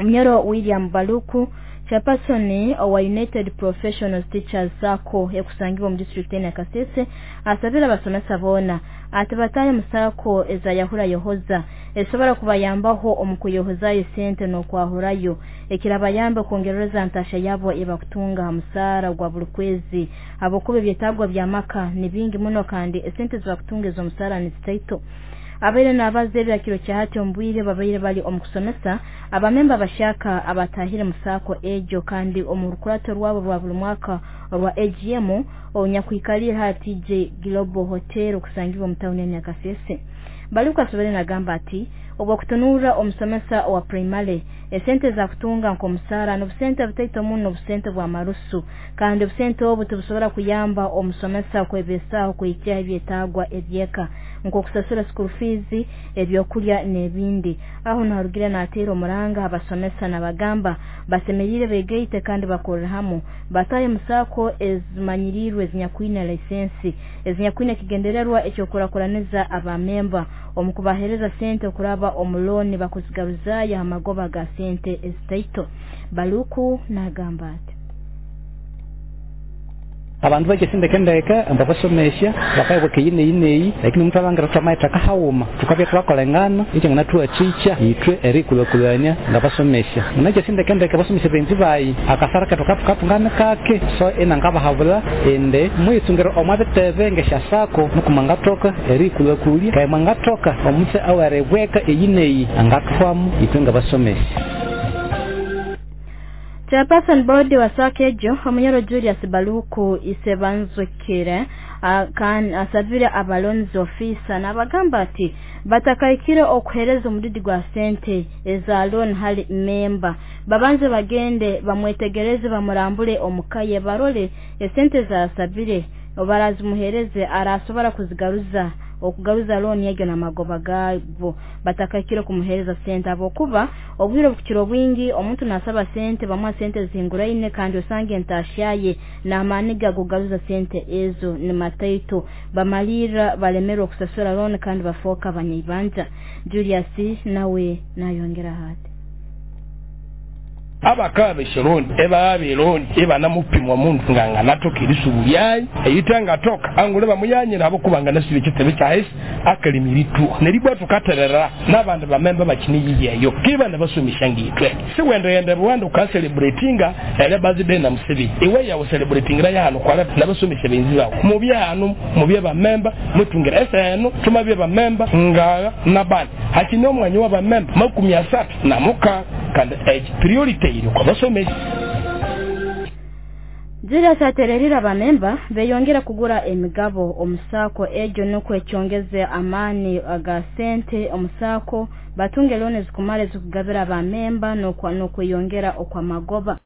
Munyoro William Baluku, chairperson owa United Professional Teachers SACCO ekusangibwa mu district ya Kasese, asabira abasomesa boona ati batahe mu SACCO eza Yahura Yohoza esobora kubayambaho omu kuyohozayo sente n'okwahurayo ekirabayamba kwongerereza ntasha yabo ebakutunga ha musaara gwa buli kwezi, habwokuba ebyetaagwa by'amaka ni bingi muno kandi esente zibakutunga ez'omusaara nizitaito. Abaire n'abaza ebyakiro kya hati omu bwire babaire bali omu kusomesa abamemba abashaka abatahire mu SACCO egyo kandi omu rukurato rwabo rwa buli mwaka orwa AGM onyakwikaliire ha TJ Global Hotel okusangibwa mu tawuni ya Nyakasese. Baluku asobere nagamba ati obwokutunurra omusomesa owa primary esente zakutunga nk'omusaara n'obusente butaito muno, obusente bw'amarusu, kandi obusente obu tibusobora kuyamba omusomesa kwebesaaho kuhikyaho ebyetaagwa ebyeka nk'okusasura school fees, ebyokulya n'ebindi. Aho naharugire nateera omuranga abasomesa nabagamba basemeriire begaite kandi bakorere hamu batahe mu SACCO ezimanyiriirwe ezinyakwine license ezinyakwine ekigendererwa eky'okurakuraniza abamemba omu kubaheereza sente okuraba omu looni bakuzigaruzaayo ha magoba ga sente ezitaito. Baluku nagamba ati abandu bakesindekendeke mbabasomesya bakayibweka eyi neyi neyi, lakini omuntu alhangira thwamayitheka haghuma thukabya thwakolengana ekyanganathuwathikya ithwe eriyikulhakulhania ngabasomesya. Munakyesindekendeke abasomesya baghenzi bayi akasara kethu akathukathunga nikake, so inangabahabulha indi muyitsungire omwa bitebe ngesya SACCO nuku mwangathoka eriyikulhakulya keghe mwangathoka omutse aweribweka eyi neyi angathwamu ithwe ngabasomesya. Chairperson board wa SACCO egyo Omunyoro Julius Baluku Isebanzukire asabire abalonzi officer n'abagamba ati batakaikire okuhereza omudidi gwa sente eza loan hali memba, babanze bagende bamwetegereze bamurambule omukaye barole esente zasabire barazimuhereze arasobora kuzigaruza okugaruza loan egyo n'amagoba gabo, batakaikire kumuhereza sente habwokuba obwire obukukira obwingi omuntu nasaba sente bamuha sente zihinguraine kandi osanga entasya ye n'amaani ge agokugaruza sente ezo ni mataito, bamalirra balemerwa okusasura loan kandi bafooka abanyaibanja. Julius nawe nayongeraho ati abakaba besheroni ebabeloni ebanamupimwa mundu nga nganatoka erisubu lyayi eyita ngatoka angule bamuyanyira abo kubanga nasibe ekitebe kyahesi akalimiritu neribwa tukaterera n'abandi bamemba bakiniyiyeyo kiba nabasomesha ngitwe siwendeyende Rwanda ukacelebratinga ele birthday na Museveni iwe yawe celebratingira yahano kwala nabasomesha benzi bawe mubyano mubye bamemba mutungira eseno tumabye bamemba ngaga nabandi hakini omwanya w'abamemba 36 kandi priority iri kwa basomesha. Julius atererera abamemba beyongera kugura emigabo omusako egyo nukwo ekyongeze amaani aga sente omusako batunge looni zikumara ezikugabira abamemba n'okweyongera okw'amagoba.